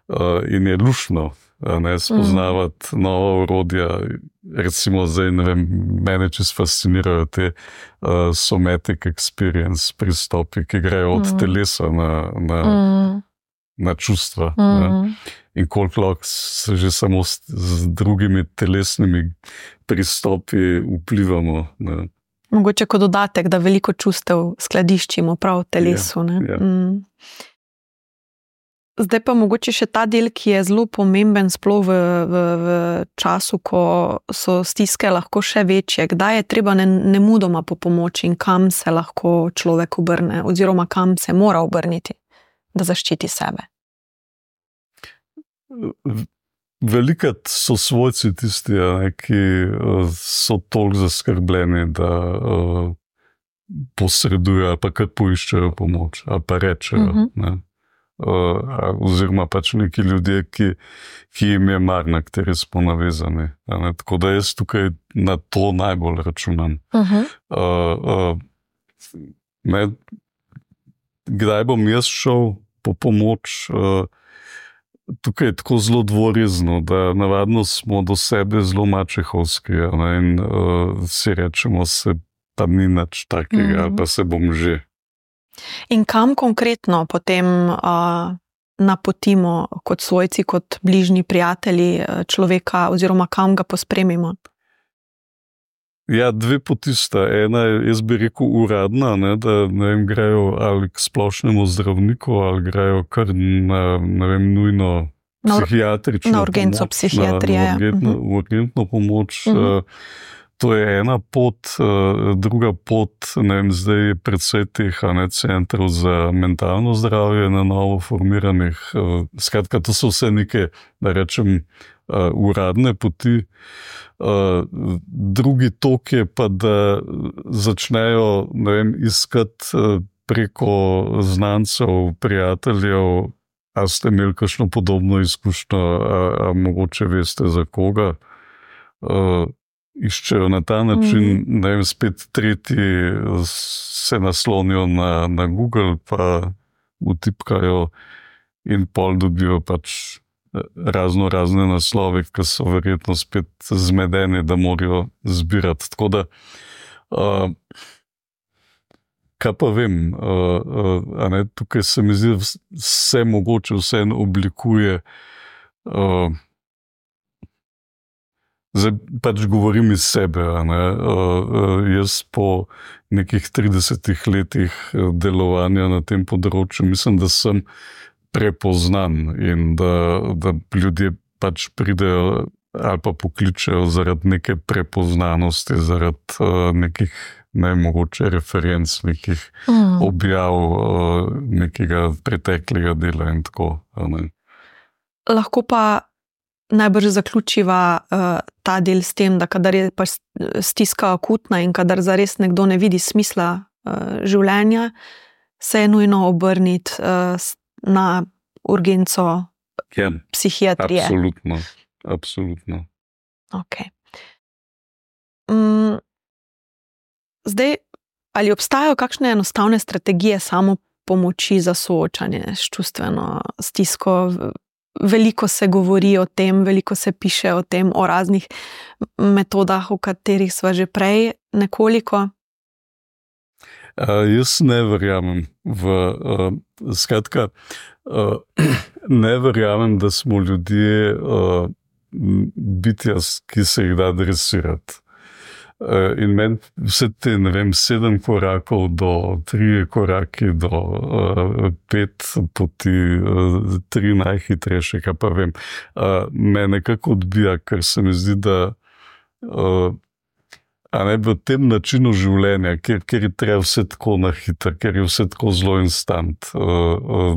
Uh, in je luštno ne, spoznavati mm. nova orodja. Recimo zdaj, ne vem, mene čisto fascinirajo te uh, somatic experience pristopi, ki grejo od mm. telesa na, na, mm. na čustva. Mm. Ne? In koliko lahko se že samo s, z drugimi telesnimi pristopi vplivamo. Ne? Mogoče kot dodatek, da veliko čustev skladiščimo prav v telesu. Ne? Ja, ja. Mm. Zdaj pa mogoče še ta del, ki je zelo pomemben sploh v, v, v času, ko so stiske lahko še večje. Kdaj je treba nemudoma po pomoč in kam se lahko človek obrne oziroma kam se mora obrniti, da zaščiti sebe? Velikrat so svojci tisti, ne, ki so toliko zaskrbljeni, da uh, posredujejo ali pa kar poiščejo pomoč ali pa rečejo. Uh-huh. Ne. Uh, oziroma pač neki ljudje, ki, ki jim je mar, na kateri smo navezani. Ne. Tako da jaz tukaj na to najbolj računam. Uh-huh. Uh, uh, ne, kdaj bom jaz šel po pomoč? Uh, Tukaj je tako zelo dvorezno, da navadno smo do sebe zelo mačehovski, ne, in uh, si rečemo, se pa ni nič takega, mm-hmm. ali pa se bom že. In kam konkretno potem uh, napotimo kot svojci, kot bližnji prijatelji človeka, oziroma kam ga pospremimo? Ja, dve poti sta. Ena je, jaz bi rekel, uradna, ne, da ne vem, grejo ali k splošnemu zdravniku, ali grejo kar na, ne vem, nujno psihiatrično na urgenco pomoč, psihiatrije. Na, na urgentno, uh-huh. urgentno pomoč. Uh-huh. To je ena pot, druga pot, ne vem, zdaj je predvsej teh ne, centrov za mentalno zdravje na novo formiranih. Skratka, to so vse neke, da rečem, uradne poti. Drugi tok je pa, da začnejo, ne vem, iskati preko znancev, prijateljev, a ste imeli kakšno podobno izkušnjo, a, a mogoče veste za koga. Iščejo na ta način, mm. ne vem, spet tretji se naslonijo na, na Google, pa vtipkajo in pol dobijo pač razno razne naslove, ki so verjetno spet zmedeni, da morajo zbirati. Tako da, uh, kaj pa vem, uh, uh, a ne, tukaj se mi zdi, vse mogoče vse oblikuje. Uh, Zdaj pač govorim iz sebe, ne? Uh, jaz po nekih tridesetih letih delovanja na tem področju mislim, da sem prepoznan in da, da ljudje pač pridejo ali pa pokličejo zaradi neke prepoznanosti, zaradi uh, nekih nemogoče referenc, nekih mm. objav, uh, nekega preteklega dela in tako. Ne? Lahko pa najbrž zaključiva uh, ta del s tem, da kadar je pač stiska akutna in kadar zares nekdo ne vidi smisla uh, življenja, se je nujno obrniti uh, na urgenco ja, psihiatrije. Absolutno, absolutno. Ok. Um, zdaj, ali obstajajo kakšne enostavne strategije samopomoči za soočanje s čustveno stisko? Veliko se govori o tem, veliko se piše o tem, o raznih metodah, o katerih sva že prej nekoliko. Uh, jaz ne verjamem v, uh, skratka, uh, ne verjamem, da smo ljudje uh, bitja, ki se jih da dresirati. Uh, in meni vse te, ne vem, sedem korakov do tri koraki do uh, pet poti, uh, tri najhitrejše, kaj pa vem, uh, me nekako odbija, ker se mi zdi, da uh, a ne v tem načinu življenja, kjer, kjer je treba vse tako na hitro, ker je vse tako zelo instant. Uh, uh,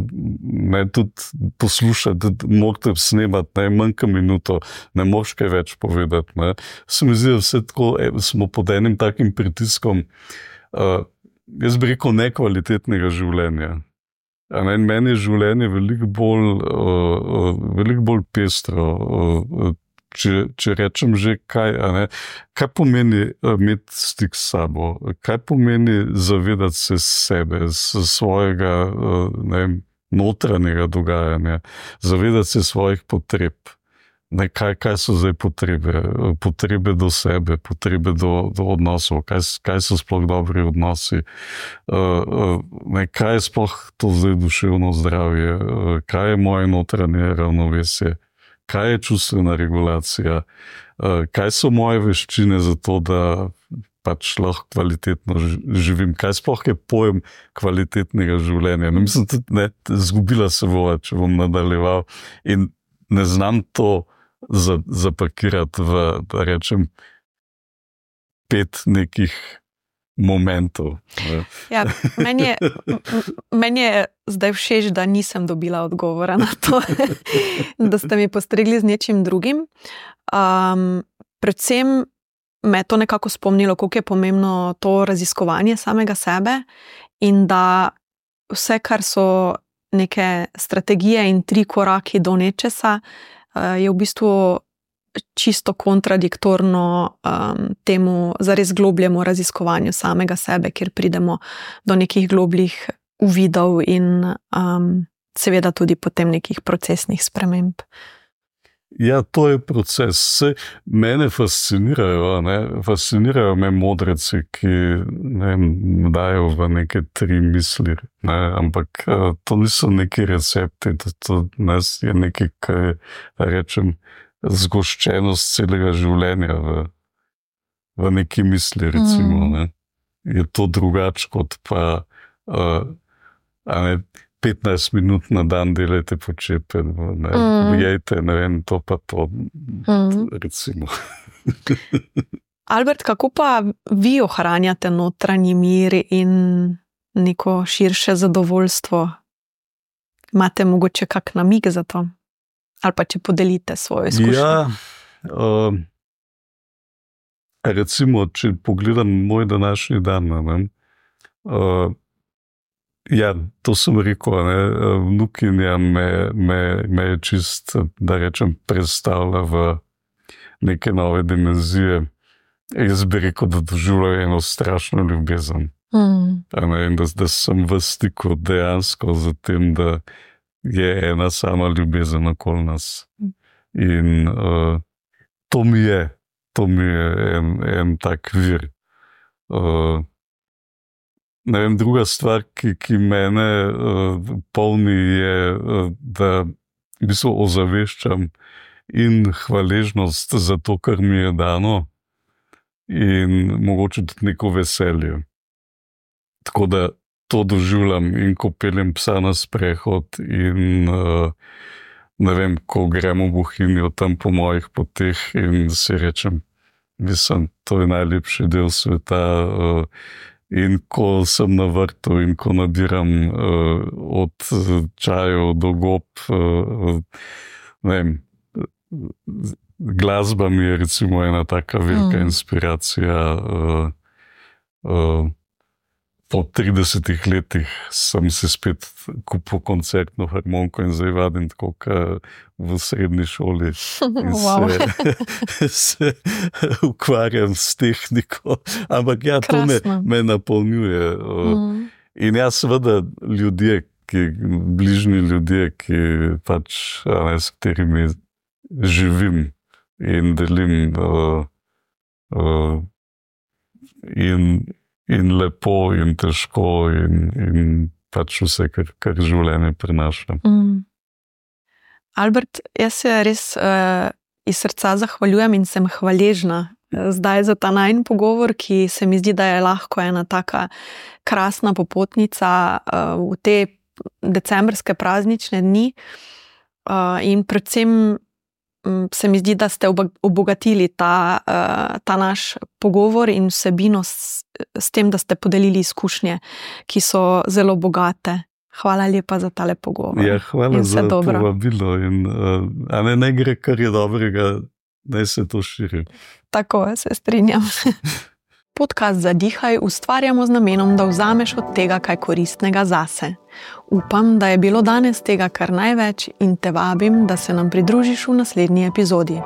ne tudi poslušati, morate snemati najmanj minuto, ne moš kaj več povedati. Ne. Se mi zdi, da vse tako, smo pod enim takim pritiskom, uh, jaz bi rekel, nekvalitetnega življenja. A ne, meni je življenje veliko bolj, uh, uh, veliko bolj pestro, uh, Če, če rečem že kaj, a ne, kaj pomeni imeti stik s sabo, kaj pomeni zavedati se sebe, svojega ne vem, notranjega dogajanja, zavedati se svojih potreb. Ne, kaj, kaj so zdaj potrebe? Potrebe do sebe, potrebe do, do odnosov, kaj, kaj so sploh dobri odnosi, ne, kaj je sploh to zdaj duševno zdravje, kaj je moje notranje ravnovesje. Kaj je čustvena regulacija, kaj so moje veščine za to, da pač lahko kvalitetno živim, kaj sploh je pojem kvalitetnega življenja. No, mislim, tudi ne, zgubila se bova, če bom nadaljeval in ne znam to zapakirati v, da rečem, pet nekih momentov. Ja, meni je, meni je zdaj všeč, da nisem dobila odgovora na to, da ste mi postregli z nečim drugim. Um, predvsem me to nekako spomnilo, koliko je pomembno to raziskovanje samega sebe in da vse, kar so neke strategije in tri koraki do nečesa, je v bistvu čisto kontradiktorno um, temu zares globljemu raziskovanju samega sebe, kjer pridemo do nekih globljih uvidov in um, seveda tudi potem nekih procesnih sprememb. Ja, to je proces. Se mene fascinirajo, ne? Fascinirajo me modreci, ki ne dajo v neke tri misli, ne? Ampak to niso neki recepti, to, to ne, je nekaj, kaj rečem, zgoščenost celega življenja v, v neki misli, recimo, ne, je to drugače kot pa uh, a ne, petnajst minut na dan delajte počepe, ne, mm. jejte, ne vem, to pa to, mm. recimo. Albert, kako pa vi ohranjate notranji mir in neko širše zadovoljstvo? Imate mogoče kak namig za to? Ali pa če podelite svojo izkušnjo? Ja, uh, recimo, če pogledam moj današnji dan, ne, uh, ja, to sem rekel, ne, vnukinja me, me, me je čist, da rečem, predstavlja v neke nove dimenzije. Jaz bi rekel, da doživljam eno strašno ljubezen. Mm. Ne, in da, da sem v stiku dejansko z tem, da je ena sama ljubezen okoli nas. In uh, to mi je, to mi je en, en tak vir. Uh, ne vem, druga stvar, ki, ki mene uh, polni, je, uh, da v bistvu ozaveščam in hvaležnost za to, kar mi je dano, in mogoče tudi neko veselje. Tako da to doživljam in ko peljem psa na sprehod in uh, ne vem, ko gremo v Bohinjo tam po mojih poteh in si rečem, mislim, to je najlepši del sveta. Uh, in ko sem na vrtu in ko nabiram uh, od čajev do gob, uh, ne vem, glasba mi je recimo ena taka velika mm. inspiracija. Uh, uh, po tridesetih letih sem si spet kupil koncertno harmoniko in zdaj vadim tako, kot v srednji šoli. In wow. se, se ukvarjam s tehniko. Ampak ja, to me, me napolnjuje. Mm. In ja, seveda ljudje, ki, bližnji ljudje, ki pač, ne, s katerimi živim in delim uh, uh, in, in lepo in težko in, in pač vse, kar, kar življenje prinaša. Mm. Albert, jaz se res uh, iz srca zahvaljujem in sem hvaležna zdaj za ta najin pogovor, ki se mi zdi, da je lahko ena taka krasna popotnica uh, v te decembrske praznične dni uh, in predvsem se mi zdi, da ste obogatili ta, ta naš pogovor in vsebino s, s tem, da ste podelili izkušnje, ki so zelo bogate. Hvala lepa za tale pogovor. Ja, hvala za povabilo. In, a ne, ne gre, kar je dobrega, naj se to širi. Tako, se strinjam. Podcast Zadihaj ustvarjamo z namenom, da vzameš od tega kaj koristnega zase. Upam, da je bilo danes tega kar največ in te vabim, da se nam pridružiš v naslednji epizodi.